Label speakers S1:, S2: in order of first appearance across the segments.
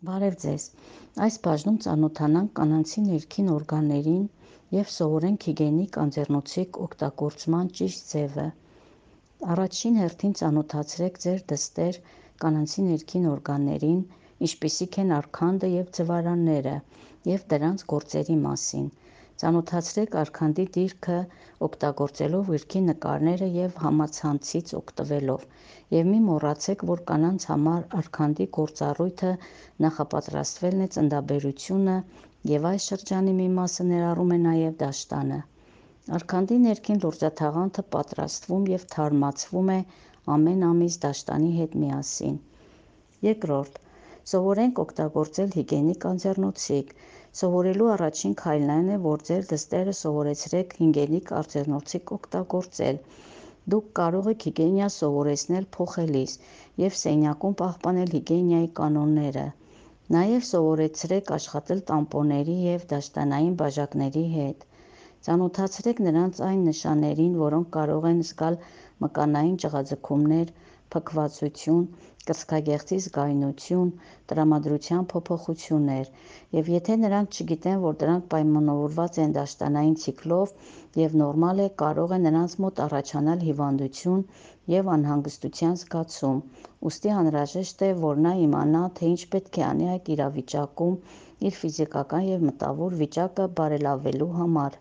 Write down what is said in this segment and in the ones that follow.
S1: Բարև ձեզ։ Այս բաժնում ծանոթանանք կանանցի ներքին օրգաններին և սովորենք հիգիենիկ անձեռնոցիկ օգտագործման ճիշտ ձևը։ Առաջին հերթին ծանոթացրեք ձեր դստեր կանանցի ներքին օրգաններին, ինչպիսիք են արգանդը և ձվարանները, և դրանց գործերի մասին։ Ծանոթացրեք արգանդի դիրքը օգտագործելով գրքի նկարները և համացանցից օգտվելով, և մի մոռացեք, որ կանանց համար արգանդի գործառույթը նախապատրաստվելն է ծննդաբերությունը, և այս շրջանի մի մասը ներառում է նաև դաշտանը։ Արգանդի ներքին լորձաթաղանթը պատրաստվում և թարմացվում է ամեն ամիս դաշտանի հետ միասին։ Երկրորդ, սովորենք օգտագործել հիգիենիկ անձեռնոցիկ։ Սովորելու առաջին քայլն այն է, որ ձեր դստերը սովորեցրեք հիգիենիկ անձեռնոցիկ օգտագործել։ Դուք կարող եք հիգիենիա սովորեցնել փոխելիս և սենյակում պահպանել հիգիենիայի կանոնները։ Նաև սովորեցրեք աշխատել տամպոնների և դաշտանային բաժակների հետ։ Ծանոթացրեք նրանց այն նշաններին, որոնք կարող են զգալ մկանային ճղաձգումներ, փքվածություն, կրծքագեղձի զգայունություն, տրամադրության փոփոխություններ, և եթե նրանք չգիտեն, որ դրանք պայմանավորված են դաշտանային ցիկլով և նորմալ է, կարող է նրանց մոտ առաջանալ հիվանդություն և անհանգստության զգացում, ուստի անհրաժեշտ է, որ նա իմանա, թե ինչ պետք է անի այդ իրավիճակում իր ֆիզիկական և մտավոր վիճակը բարելավելու համար։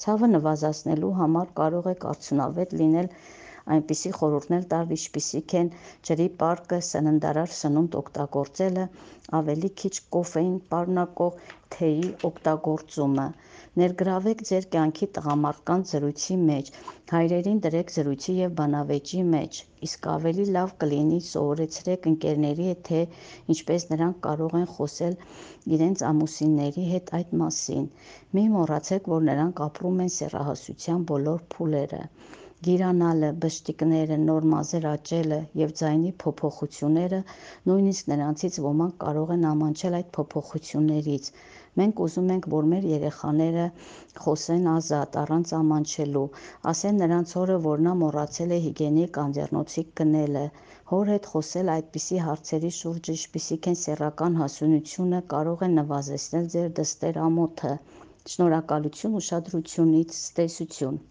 S1: Ցավը նվազեցնելու համար կարող եք արդյունավետ լինել այնպիսի խորհուրդներ տալ, ինչպիսիք են ջրի պարկը, սննդարար սնունդ օգտագործելը, ավելի քիչ կոֆեին պարունակող թեյի օգտագործումը։ Ներգրավեք ձեր կյանքի տղամարդկանց զրույցի մեջ, հայրերին դրեք զրույցի և բանավեճի մեջ, իսկ ավելի լավ կլինի սովորեցրեք ընկերների հետ, թե ինչպես նրանք կարող են խոսել իրենց ամուսինների հետ այդ մասին։ Մի մոռացեք, որ նրանք ապրում են սեռահասության բոլոր փուլերը։ Գիրանալը, բշտիկները, նոր մազեր աճելը և ձայնի փոփոխությունները, նույնիսկ նրանցից ոմանք կարող են ամաչել այդ փոփոխություններից։ Մենք ուզում ենք, որ մեր երեխաները խոսեն ազատ, առանց ամաչելու, ասեն նրանց հորը, որ նա մոռացել է հիգիենիկ անձեռնոցիկ գնելը։ Հոր հետ խոսել այդպիսի հարցերի շուրջ, ինչպիսիք են սեռական հասունությունը, կարող է նվազեցնել ձեր դստեր ամոթը։ Շնորհակալություն ուշադրությունից, ցտեսություն։